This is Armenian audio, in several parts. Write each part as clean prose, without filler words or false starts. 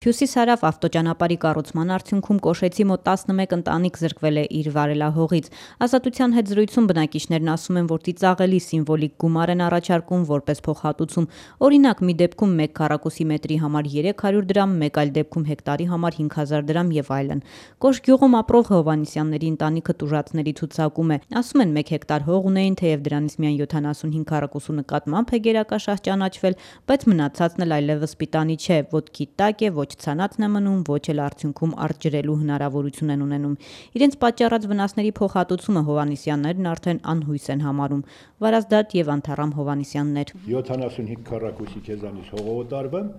Հյուսիս-հարավ ավտոճանապարհի կառուցման արդյունքում Կոշեցի մոտ 11 ընտանիք զրկվել է իր վարելահողից։ Ազատության հետ զրույցում բնակիչներն ասում են, որ ծիծաղելի սիմվոլիկ գումար են առաջարկում որպես փոխհատուցում։ Օրինակ, մի դեպքում 1 քառակուսի մետրի համար 300 դրամ, մեկ այլ դեպքում հեկտարի համար 5000 դրամ եւ այլն։ Կոշ գյուղում ապրող Հովհաննիսյանների ընտանիքը տուժածների ցուցակում է։ Ասում են 1 հեկտար հող ունեին, թեև դրանից միայն 75 քառակուսու նկատմամբ է գերակաշահ ճանաչվել, բայց մնացածն էլ այլևս պիտանի չէ, ոտքի տակ է, ոչ ցանածն է մնում, ոչ էլ արդյունքում արտջրելու հնարավորություն են ունենում։ Իրենց պատճառած վնասների փոխհատուցումը Հովհաննիսյաններն արդեն անհույս են համարում։ Վարազդատ եւ Անթառամ Հովհաննիսյաններ 75 քառակուսի քեզանից հողոտարվեմ,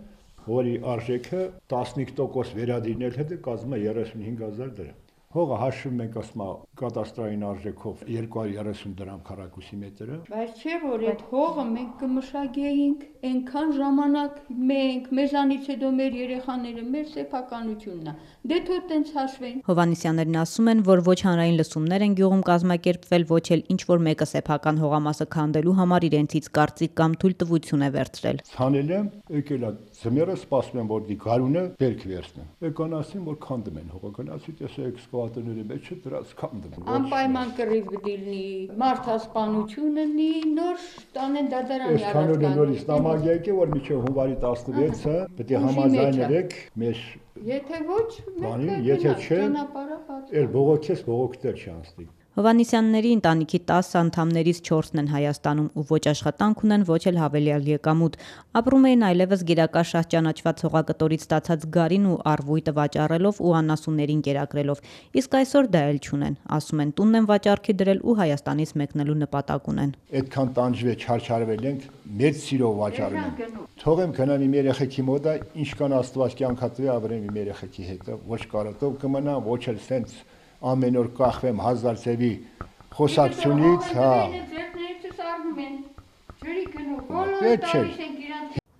որի արժեքը 15% վերադիրնել հետ կազմում է 35000 դրամ։ Հողը հաշվում ենք ասма կատաստրային արժեքով 230 դրամ քառակուսի մետրը։ Բայց չէ որ այդ հողը մենք կմշակեինք, այնքան ժամանակ մենք, մեզանից հետո մեր երեխաները, մեր սեփականությունն է։ Դե թող տենց հաշվեն։ Հովհաննիսյաններն ասում են, որ ոչ հանրային լսումներ են գյուղում կազմակերպվել, ոչ էլ ինչ որ մեկը սեփական հողամասը քանդելու համար իրենցից կարծիք կամ թույլտվություն է վերցրել։ Ցանել եմ, եկել է ձմեռը սպասում եմ որ դի գարունը բերք վերցնեմ։ Եկան ասին որ քանդում են հողը, գնացի տեսեք ատների մեջ դրած քանդում։ Անպայման կռիվ դիլնի, մարդասպանությունը նի նոր տանեն դատարանի առարկան։ Այս նորից նամակ որ միջև հունվարի 16-ը պետք է համաձայնեք մեր Եթե ոչ, եթե չէ, էլ բողոքես բողոքտեր չանցնի։ Հովհաննիսյանների ընտանիքի 10 անդամներից 4-ն են Հայաստանում ու ոչ աշխատանք ունեն, ոչ էլ հավելյալ եկամուտ։ Ապրում էին այլևս գերակաշահ ճանաչված հողակտորից ստացած գարին ու առվույտը վաճառելով ու անասուններին կերակրելով։ Իսկ այսօր դա էլ չունեն։ Ասում են տունն են վաճառքի դրել ու Հայաստանից մեկնելու նպատակ ունեն։ Այդքան տանջվե չարչարվել ենք, մեծ սիրով վաճառում ենք։ Թողեմ գնամ իմ երեխեքի մոտ, ինչքան Աստված կյանքա տվի ապրեմ իմ երեխեքի հետ, ոչ կարոտով կմնա, ոչ էլ սենց ամեն օր կախվեմ 1000 ծևի խոսակցությունից,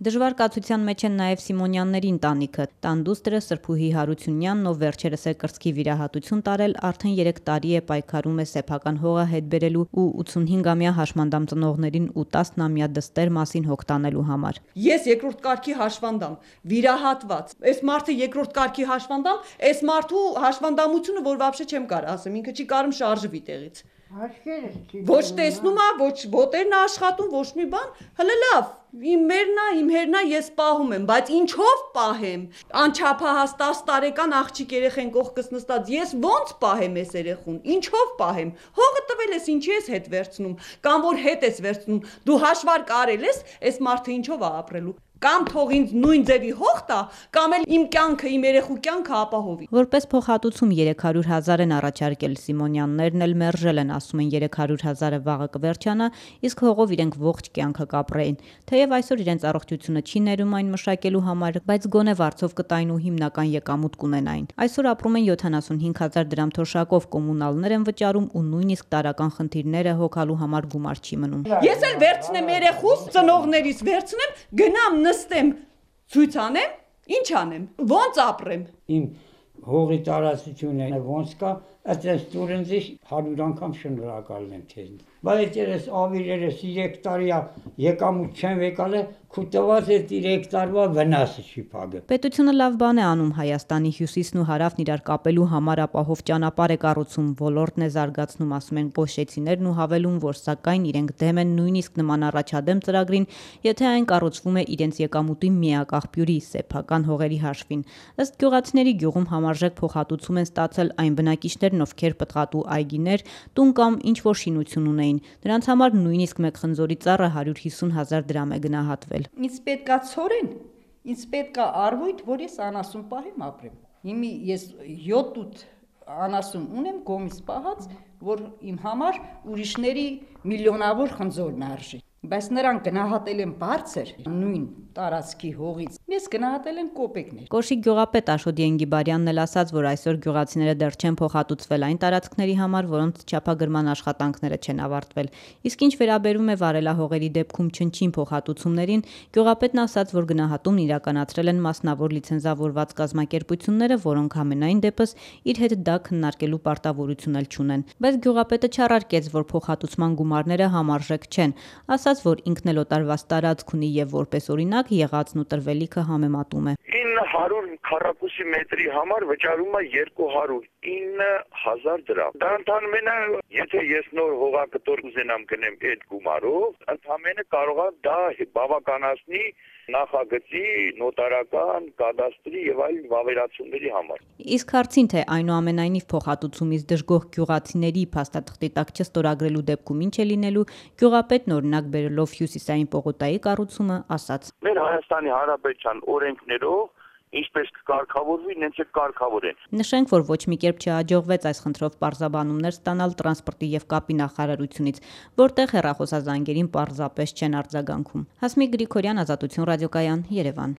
Դժվար կացության մեջ են նաև Սիմոնյանների ընտանիքը։ Տան դուստրը Սրփուհի Հարությունյանն, ով վերջերս է կրծքի վիրահատություն տարել, արդեն 3 տարի է պայքարում է սեփական հողը հետ բերելու ու 85-ամյա հաշմանդամ ծնողներին ու 10-ամյա դստեր մասին հոգ տանելու համար։ Ես երկրորդ կարգի հաշվանդամ, վիրահատված։ Այս մարդը երկրորդ կարգի հաշվանդամ, այս մարդու հաշվանդամությունը որ вообще չեմ կարող ասեմ, ինքը չի կարող շարժվի տեղից։ Ոչ տեսնում է, ոչ ոտերն աշխատում, ոչ մի բան, հələ լավ, իմ հերնա ես պահում եմ, բայց ինչով պահեմ, անչափահաս 10 տարեկան աղջիկ երեխեն կողքս նստած, ես ոնց պահեմ ես երեխուն, ինչով պահեմ, հողը տվել ես ինչի ես հետ վերցնում, կամ որ հետ ես վերցնում, դու հաշվարկ արել ես, այս մարդը ինչով է ապրելու, կամ թող ինձ նույն ձևի հող տա, կամ էլ իմ կյանքը, իմ երեխու կյանքը ապահովի։ Որպես փոխհատուցում 300,000 են առաջարկել Սիմոնյաններն էլ մերժել են, ասում են 300,000-ը վաղը կվերջանա, իսկ հողով իրենք ողջ կյանքը կապրեին։ Թեև այսօր իրենց առողջությունը չի ներում այն մշակելու համար, բայց գոնե վարձով կտային ու հիմնական եկամուտ կունենային։ Այսօր ապրում են 75,000 դրամ թոշակով, կոմունալներ են վճարում ու նույնիսկ տարական խնդիրները հոգալու համար գումար չի մնում։ Ես էլ վերցնեմ երեխուս, ծնողներիս վերցնեմ, գնամ նստեմ, ցույց անեմ, ինչ անեմ, ոնց ապրեմ։ Իմ հողի տարածությունը ոնց կա, այդպես տուրնձի 100 անգամ շնորհակալ եմ քեզ։ Բայց ես ավիրերս 3 տարի եկամուտ չեմ եկալ, քու տված է 3 տարվա վնասը չի փակը։ Պետությունը լավ բան է անում Հայաստանի հյուսիսն ու հարավն իրար կապելու համար ապահով ճանապարհ է կառուցում, ոլորտն է զարգացնում, ասում են կոշեցիներն ու հավելում, որ սակայն իրենք դեմ են նույնիսկ նման առաջադեմ ծրագրին, եթե այն կառուցվում է իրենց եկամուտի միակ աղբյուրի սեփական հողերի հաշվին։ Ըստ գյուղացիների գյուղում համարժեք փոխհատուցում են ստացել այն բնակիչներն, ովքեր պտղատու այգիներ, տուն կամ ինչ որ շինություն ունեին։ Նրանց համար նույնիսկ մեկ խնձորի ծառը 150,000 դրամ է գնահատվել։ Ինձ պետքա ցորեն, ինձ պետքա առվույթ, որ ես անասուն պահեմ ապրեմ։ Հիմի ես 7-8 անասուն ունեմ կողմից պահած, որ իմ համար ուրիշների միլիոնավոր խնձորն արժի։ Բայց նրանք գնահատել են բարձր նույն տարածքի հողից, ես գնահատել եմ կոպեկներ։ Կոշի գյուղապետ Աշոտ Ենգիբարյանն էլ ասաց, որ այսօր գյուղացիները դեռ չեն փոխհատուցվել այն տարածքների համար, որոնց չափագրման աշխատանքները չեն ավարտվել։ Իսկ ինչ վերաբերում է վարելահողերի դեպքում չնչին փոխհատուցումներին, գյուղապետն ասաց, որ գնահատումն իրականացրել են մասնավոր լիցենզավորված կազմակերպությունները, որոնք համենայն դեպս իր հետ դա քննարկելու պարտավորություն էլ չունեն։ Բայց գյուղապետը չառարկեց, որ փոխհատուցման գումարները համարժեք չեն, ասաց, որ ինքն էլ օտարված տարածք ունի եւ որպես օրինակ եղածն ու տրվելիքը կարգը համեմատում է։ 900 քառակուսի մետրի համար վճարում է 209,000 դրամ։ Դա ընդամենը, եթե ես նոր հողակտոր ուզենամ գնեմ այդ գումարով, ընդամենը կարող է դա բավականացնի նախագծի, նոտարական, կադաստրի եւ այլ վավերացումների համար։ Իսկ հարցին, թե այնուամենայնիվ փոխհատուցումից դժգոհ գյուղացիների փաստաթղթի տակ չստորագրելու դեպքում ինչ է լինելու, գյուղապետն օրինակ բերելով Հյուսիսային պողոտայի կառուցումը ասաց. Մեր Հայաստանի Հանրապետության օրենքներով ինչպես կարգավորվի, նենց է կարգավորեն։ Նշենք, որ ոչ մի կերպ չհաջողվեց այս խնդրով պարզաբանումներ ստանալ տրանսպորտի եւ կապի նախարարությունից, որտեղ հեռախոսազանգերին պարզապես չեն արձագանքում։ Հասմիկ Գրիգորյան, Ազատություն ռադիոկայան, Երևան։